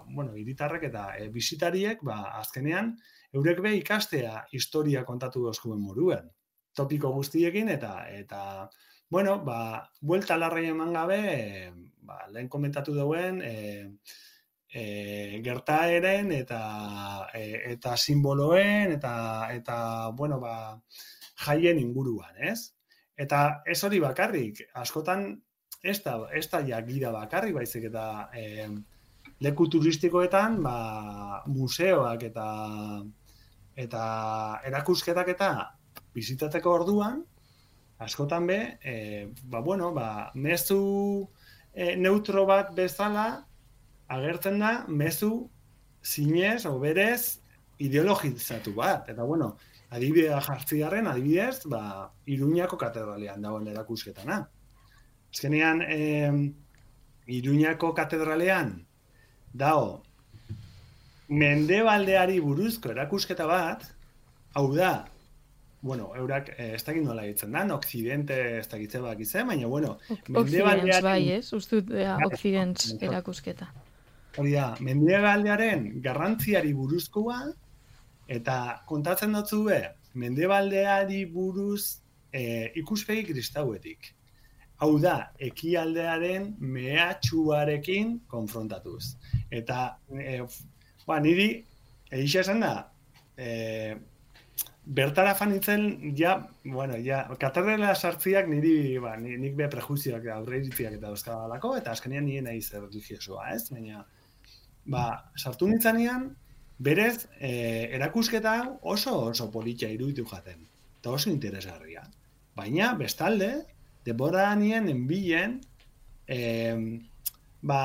Speaker 9: bueno, hiritarrek eta e, bisitariek, ba, azkenean, eurek be ikastea historia kontatu dozkuen moruen. Topiko guztiekin, eta, eta bueno, ba, buelta larrai eman gabe, e, ba, lehen komentatu duen, e, e, gertaeren eta e, eta simboloen eta eta bueno, ba, jaien inguruan, ez? Eta ez hori bakarrik, askotan ez da, ez da ja gida bakarrik, baizik eta e, leku turistikoetan, ba, museoak eta eta erakusketak eta bizitatzeko orduan, askotan be, e, ba, bueno, ba, mezu e, neutro bat bezala agertzen da mezu zinez o berez ideologizatu bat. Eta, bueno, adibidea jartziarren, adibidez, ba, Iruñako katedralean dagoen erakusketana. Azkenean, e, Iruñako katedralean dago mendebaldeari buruzko erakusketa bat, hau da, bueno, eurak eh, ez dakit nola ditzen da, Occidente ez dakitze bak izan, baina, bueno,
Speaker 6: mendebaldearen... bai, ez? Ustut, Occidents erakusketa.
Speaker 9: Hori da, mendebaldearen garrantziari buruzkoa, eta kontatzen dutzu be, mendebaldeari buruz eh, ikuspegi kristauetik. Hau da, ekialdearen mehatxuarekin konfrontatuz. Eta, eh, ba, niri, egixa esan da, eh, bertara fanitzen, ja, bueno, ja, katedrala sartziak niri, ba, nik be prejuizioak aurreiritziak eta dauzkadalako, eta azkenean nire nahi zer religiosoa, ez? Baina, ba, sartu nintzanean, berez, e, erakusketa oso oso politia iruditu jaten, eta oso interesgarria. Baina, bestalde, denbora nien enbilen, e, ba,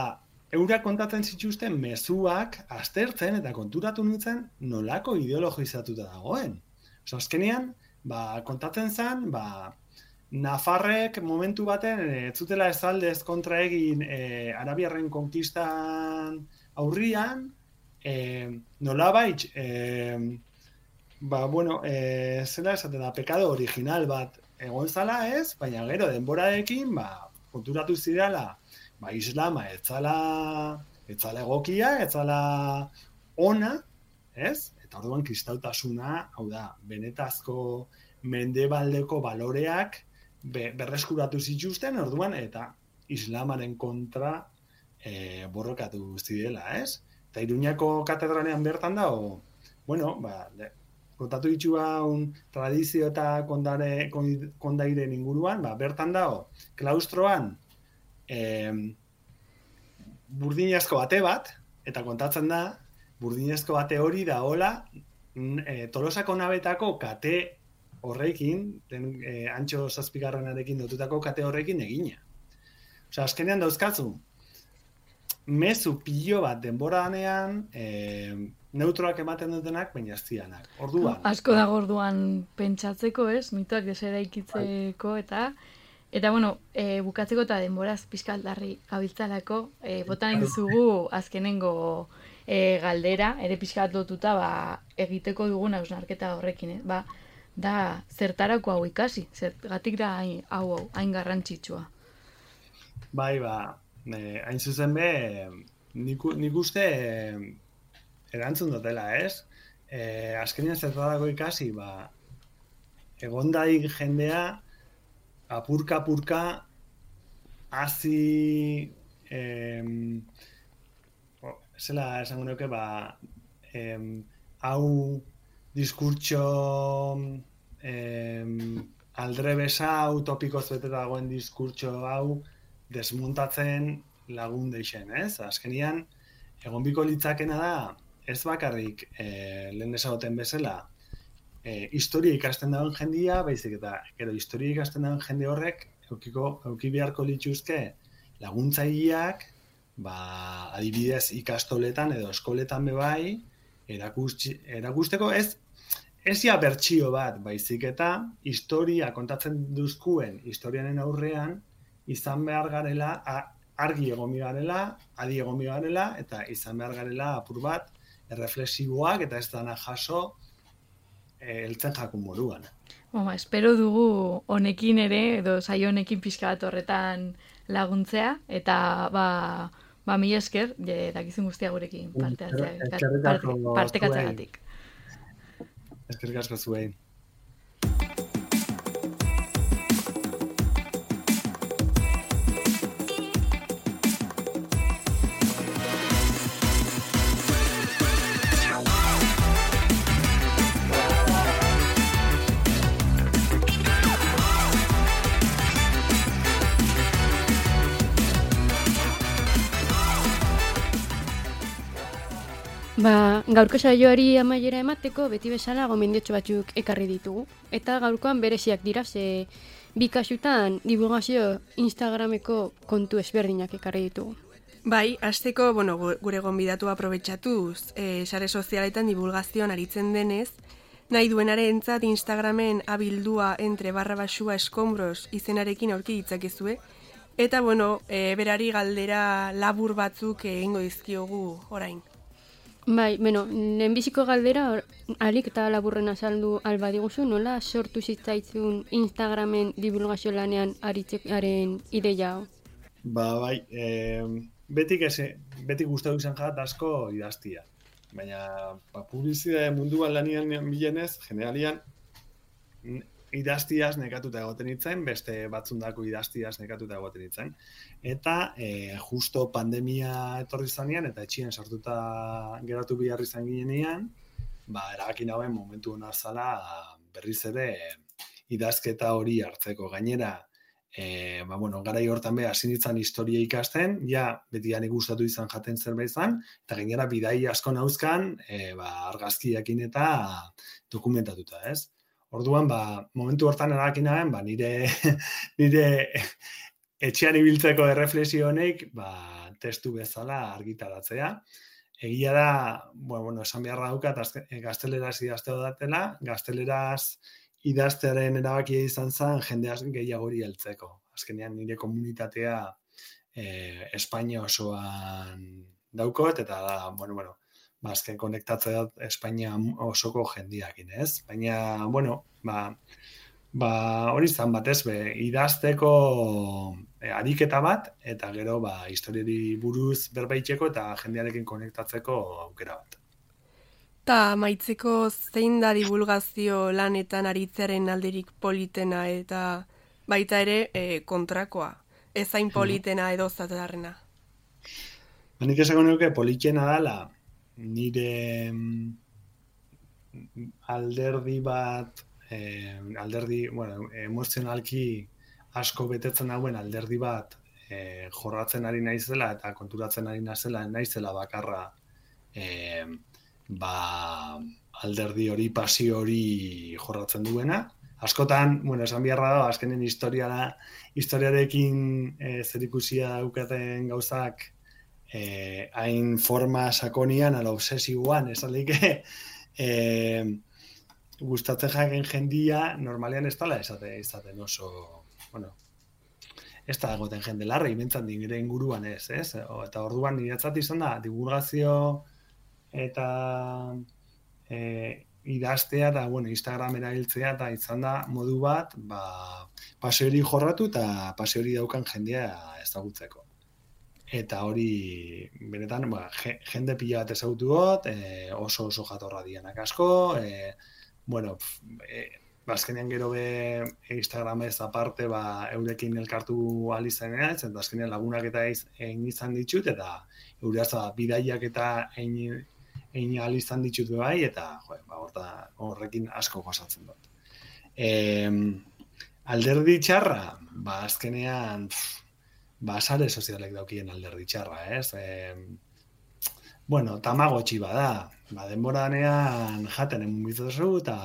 Speaker 9: eurak kontatzen zituzten mezuak aztertzen eta konturatu nintzen nolako ideologizatuta dagoen. Oso, azkenean, ba, kontatzen zen, ba, Nafarrek momentu baten ez zutela ez aldez kontra egin e, Arabiarren konkistan aurrian, e, nolabait, e, ba, bueno, e, zela esaten da, pekado original bat egon zala ez, baina gero denborarekin, ba, konturatu zidala, ba, islama ez zala, ez zala egokia, ez zala ona, ez? Eta orduan kristautasuna, hau da, benetazko mendebaldeko baloreak be, berreskuratu zituzten, orduan, eta islamaren kontra e, borrokatu zidela, ez? Eta Iruñako katedralean bertan da, o, bueno, ba, de, kontatu ditxua un tradizio eta kondare, kondairen inguruan, ba, bertan da, o, klaustroan, e, burdinezko bate bat, eta kontatzen da, burdinezko bate hori da hola, e, Tolosako nabetako kate horrekin, den, e, antxo zazpigarrenarekin dotutako kate horrekin egina. Osea, azkenean dauzkatzu, mezu pilo bat denboranean, e, neutroak ematen dutenak, baina ez zianak. Orduan.
Speaker 6: Asko dago orduan pentsatzeko, ez? Mitoak desera ikitzeko, eta eta bueno, e, bukatzeko eta denboraz pizkaldarri gabiltzalako, e, botan dizugu azkenengo e, galdera, ere pizkat lotuta ba, egiteko dugun hausnarketa horrekin, eh? Ba, da zertarako hau ikasi, zergatik da hain, hau hain garrantzitsua.
Speaker 9: Bai, ba, e, hain zuzen be, nik, nik uste e, erantzun dutela, ez? E, azkenean zertarako ikasi, ba, egondaik jendea, apurka-apurka, hazi, em, zela esango nuke, ba, em, hau diskurtso em, aldrebesa, hau topikoz beteta dagoen diskurtso hau desmuntatzen lagun deixen, ez? Azkenian, egon biko litzakena da, ez bakarrik e, lehen esagoten bezala, e, historia ikasten dagoen jendia, baizik eta gero historia ikasten dagoen jende horrek eukiko, euki beharko lituzke laguntzaileak, ba, adibidez ikastoletan edo eskoletan bebai, erakusteko, erakusteko ez ez ja bertsio bat, baizik eta historia kontatzen duzkuen historianen aurrean izan behar garela, argi egon garela, adi egon garela, eta izan behar garela apur bat, erreflexiboak eta ez dana jaso heltzen jakun moduan.
Speaker 6: Oma, espero dugu honekin ere, edo saio honekin pixka bat horretan laguntzea, eta ba, ba mila esker, je, dakizun guztia gurekin parte hartzeagatik.
Speaker 9: Eskerrik asko zuei.
Speaker 1: Ba, gaurko saioari amaiera emateko beti bezala gomendiotxo batzuk ekarri ditugu. Eta gaurkoan bereziak dira, ze bi kasutan divulgazio Instagrameko kontu ezberdinak ekarri ditugu.
Speaker 2: Bai, hasteko, bueno, gure gonbidatu aprobetxatuz, e, sare sozialetan divulgazioan aritzen denez, nahi duenarentzat Instagramen abildua entre barra basua eskombros izenarekin aurki ditzakezue, eta, bueno, e, berari galdera labur batzuk egingo dizkiogu orain.
Speaker 1: Bai, bueno, lehenbiziko galdera, alik eta laburren azaldu alba diguzu, nola sortu zitzaitzun Instagramen divulgazio lanean aritzearen ideia?
Speaker 9: Ba, bai, e, betik, eze, betik gustatu izan jat asko idaztia. Baina, ba, publizitate munduan lanian bilenez, generalian, idaztiaz nekatuta egoten itzen, beste batzundako idaztiaz nekatuta egoten itzen. Eta e, justo pandemia etorri zanean, eta etxien sartuta geratu behar izan ginean, ba, erabakin hauen momentu hona zala berriz ere idazketa hori hartzeko. Gainera, e, ba, bueno, garai hortan be, hasi nintzen historia ikasten, ja, beti gani gustatu izan jaten zerbait izan, eta gainera bidai asko nauzkan, e, ba, argazkiakin eta dokumentatuta, ez? Orduan, ba, momentu hortan erakinaren, ba, nire, nire etxean ibiltzeko erreflexio honek, ba, testu bezala argitaratzea. Egia da, bueno, bueno, esan beharra daukat, gazteleraz idazteo datela, gazteleraz idaztearen erabakia izan zen jendeaz gehiagori heltzeko. Azkenean nire komunitatea eh, Espainia osoan daukot, eta da, bueno, bueno, azken konektatzea Espainia osoko jendiakin, ez? Baina, bueno, ba, ba hori izan batez, be, idazteko e, ariketa bat, eta gero, ba, historiari buruz berbaitzeko eta jendearekin konektatzeko aukera bat.
Speaker 2: Ta maitzeko zein da divulgazio lanetan aritzearen alderik politena eta baita ere e, kontrakoa, ezain politena edo zatarrena?
Speaker 9: Nik esango nuke politena dala, nire alderdi bat, eh, alderdi, bueno, emozionalki asko betetzen dauen alderdi bat e, jorratzen ari naizela eta konturatzen ari naizela, naizela bakarra e, ba, alderdi hori, pasio hori jorratzen duena. Askotan, bueno, esan biharra da, azkenen historiara, historiarekin e, zerikusia daukaten gauzak e, hain forma sakonian, ala obsesioan, esan lehike, e, gustatzen jaken jendia, normalean ez dala esate, izaten oso, bueno, ez da egoten jende larri, bentzat nire inguruan ez, ez? O, eta orduan niretzat izan da, divulgazio eta e, idaztea eta, bueno, Instagram erabiltzea eta izan da modu bat, ba, paseo hori jorratu eta paseo hori daukan jendea ezagutzeko. Eta hori, benetan, ba, jende pila bat ezagutu got, e, oso oso jatorra dianak asko, e, bueno, e, bazkenean gero be Instagramez aparte, ba, eurekin elkartu alizanean, eta azkenean lagunak eta egin izan ditut, eta eureaz ba, bidaiak eta egin egin alizan ditut bai, eta jo, ba, orta, horrekin asko gozatzen dut. E, alderdi txarra, ba, azkenean, pff, ba, sare sozialek daukien alderdi txarra, ez? E, bueno, tamagotxi bada, ba, denboranean jaten emun bizozu, eta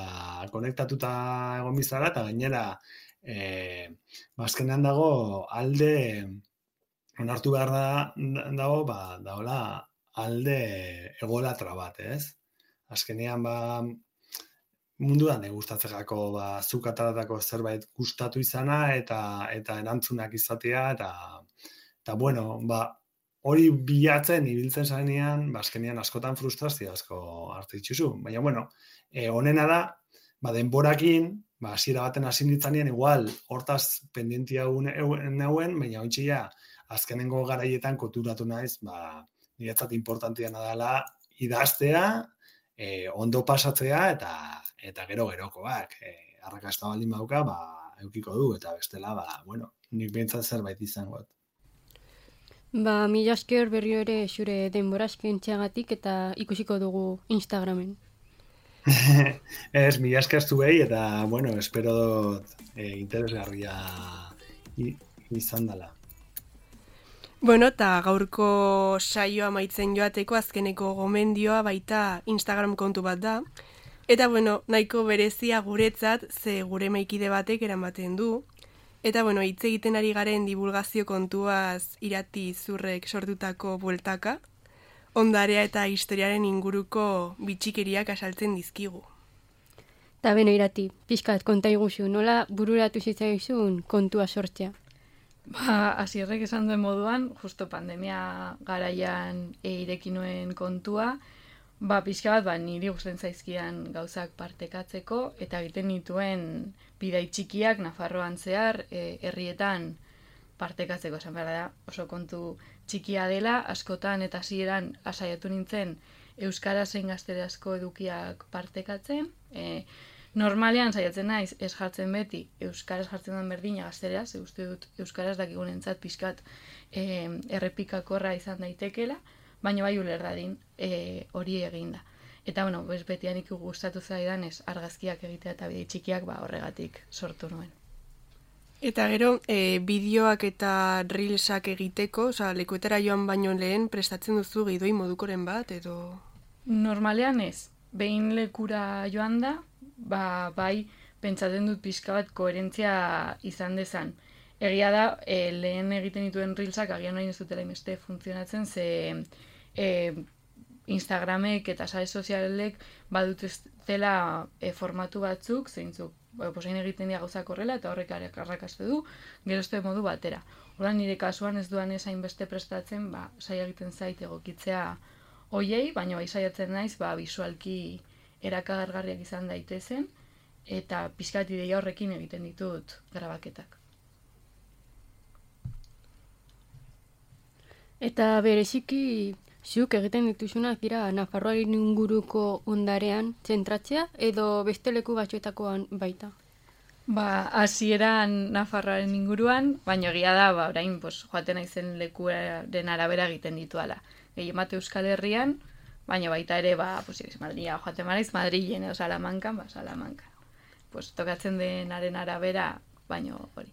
Speaker 9: konektatuta egon bizara, eta gainera, e, ba, azkenean dago alde, onartu behar da, dago, ba, dagoela, alde egolatra bat, ez? Azkenean, ba, munduan gustatzeko ba, zuk ataratako zerbait gustatu izana eta eta erantzunak izatea, eta, eta bueno, ba, hori bilatzen, ibiltzen zarenean, ba, azkenean askotan frustrazio asko hartu dituzu. Baina, bueno, e, honena da, ba, denborakin, ba, hasiera baten hasi nintzanean, igual, hortaz pendentia neuen, baina ontsia, azkenengo garaietan koturatu naiz, ba, niretzat importantiana dela idaztea, e, ondo pasatzea eta eta gero gerokoak. E, arrakasta baldin bauka, ba, eukiko du, eta bestela, ba, bueno, nik behintzat zerbait izango.
Speaker 1: Ba, mila esker berrio ere zure denbora eskaintzeagatik eta ikusiko dugu Instagramen.
Speaker 9: Ez, mila esker zuei, eta, bueno, espero dut e, interesgarria izan dela.
Speaker 2: Bueno, eta gaurko saioa amaitzen joateko azkeneko gomendioa baita Instagram kontu bat da. Eta, bueno, nahiko berezia guretzat, ze gure maikide batek eramaten du. Eta, bueno, hitz egiten ari garen divulgazio kontuaz Irati Zurrek sortutako bueltaka, ondarea eta historiaren inguruko bitxikeriak asaltzen dizkigu.
Speaker 1: Eta beno, Irati, pixkat konta iguzu, nola bururatu zitzaizun kontua sortzea?
Speaker 6: Ba, Asierrek esan duen moduan, justo pandemia garaian e, ireki nuen kontua, ba, pixka bat, ba, niri gusten zaizkian gauzak partekatzeko, eta egiten nituen bidai txikiak Nafarroan zehar, e, herrietan partekatzeko, esan behar da, oso kontu txikia dela, askotan eta hasieran asaiatu nintzen euskarazen gazterazko edukiak partekatzen, e, normalean saiatzen naiz ez jartzen beti euskaraz jartzen den berdina gazteraz, ze uste dut euskaraz dakigunentzat pixkat e, errepikakorra izan daitekela, baina bai uler dadin e, hori eginda. Eta bueno, bez betianik gustatu zaidanez argazkiak egitea eta bidei txikiak ba horregatik sortu nuen.
Speaker 2: Eta gero, e, bideoak eta reelsak egiteko, oza, lekuetara joan baino lehen prestatzen duzu gidoi modukoren bat, edo...
Speaker 6: Normalean ez, behin lekura joan da, ba, bai, pentsatzen dut pixka bat koherentzia izan dezan. Egia da, e, lehen egiten dituen reelsak agian nahi ez dutela imeste funtzionatzen, ze e, Instagramek eta sare sozialek badut ez dela e, formatu batzuk, zeintzuk, ba, posain egiten dira gauzak horrela, eta horrek arrakastu du, gerozte modu batera. Horren nire kasuan ez duan ezain beste prestatzen, ba, saia egiten zait egokitzea hoiei, baina bai saiatzen naiz, ba, visualki erakagargarriak izan daitezen, eta pixkat ideia horrekin egiten ditut grabaketak.
Speaker 1: Eta bereziki, zuk egiten dituzunak dira Nafarroaren inguruko ondarean zentratzea, edo beste leku batzuetakoan baita?
Speaker 6: Ba, hasieran Nafarroaren inguruan, baina egia da, ba, orain, pues, joaten naizen lekuaren arabera egiten dituala. Gehiemate Euskal Herrian, baina baita ere, ba, pues, Madria joaten maraiz, Madrilen edo Salamankan, ba, Salamankan. Pues, tokatzen denaren arabera, baino hori.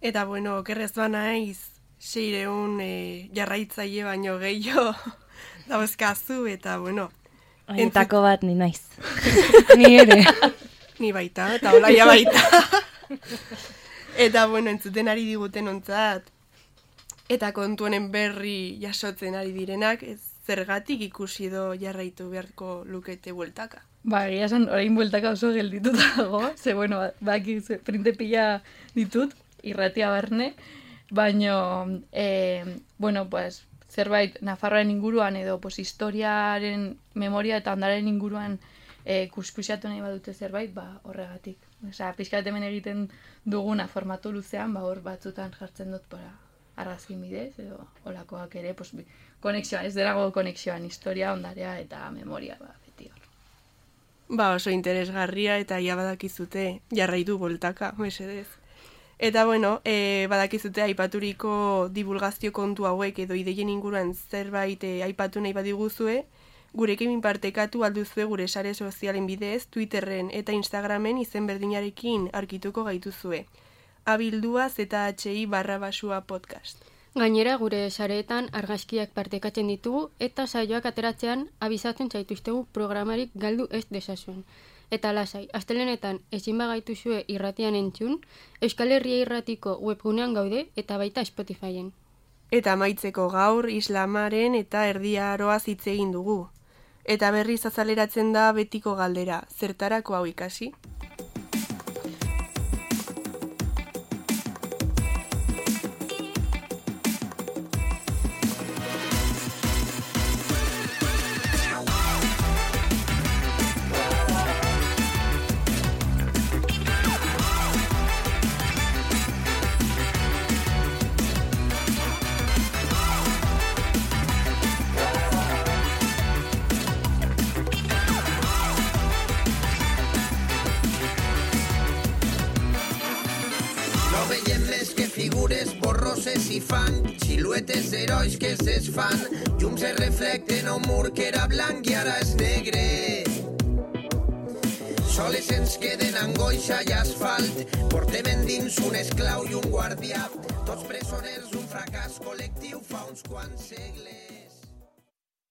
Speaker 2: Eta, bueno, okerrez ba naiz, seireun e, jarraitzaile baino gehiago dauzkazu, eta, bueno...
Speaker 10: Haietako bat ni naiz.
Speaker 6: Ni ere.
Speaker 2: Ni baita, eta olaia baita. Eta, bueno, entzuten ari diguten ontzat, eta kontu honen berri jasotzen ari direnak, ez zergatik ikusi do jarraitu beharko lukete bueltaka.
Speaker 6: Ba, egia esan, orain bueltaka oso geldituta dago, ze, bueno, baki printe pila ditut, irratia barne, baino, e, bueno, pues, zerbait Nafarroaren inguruan edo pues, historiaren memoria eta ondaren inguruan e, kuskusiatu nahi badute zerbait, ba, horregatik. Osea, pixkat hemen egiten duguna formatu luzean, ba, hor batzutan jartzen dut para argazkin bidez, edo olakoak ere, pues, konexioa, ez derago konexioan, historia, ondarea eta memoria, ba, beti hor.
Speaker 2: Ba, oso interesgarria eta ja badakizute jarraitu boltaka, mesedez. Eta, bueno, e, badakizute aipaturiko divulgazio kontu hauek edo ideien inguruan zerbait e, aipatu nahi badiguzue, gurekin partekatu alduzue gure sare sozialen bidez, Twitterren eta Instagramen izen berdinarekin arkituko gaituzue. Abildua zhi barra basua podcast.
Speaker 1: Gainera, gure sareetan argazkiak partekatzen ditugu eta saioak ateratzean abizatzen zaituztegu programarik galdu ez desazuen. Eta lasai, astelenetan ezin bagaituzue irratian entzun, Euskal Herria Irratiko webgunean gaude eta baita Spotifyen.
Speaker 2: Eta amaitzeko gaur islamaren eta erdia aroaz hitz egin dugu. Eta berriz azaleratzen da betiko galdera, zertarako hau ikasi?
Speaker 3: Figures borroses i fan, siluetes d'herois que es desfan, llums es reflecten a un mur que era blanc i ara és negre. Soles ens queden angoixa i asfalt, portem endins un esclau i un guardià, tots presoners d'un fracàs col·lectiu fa uns quants segles.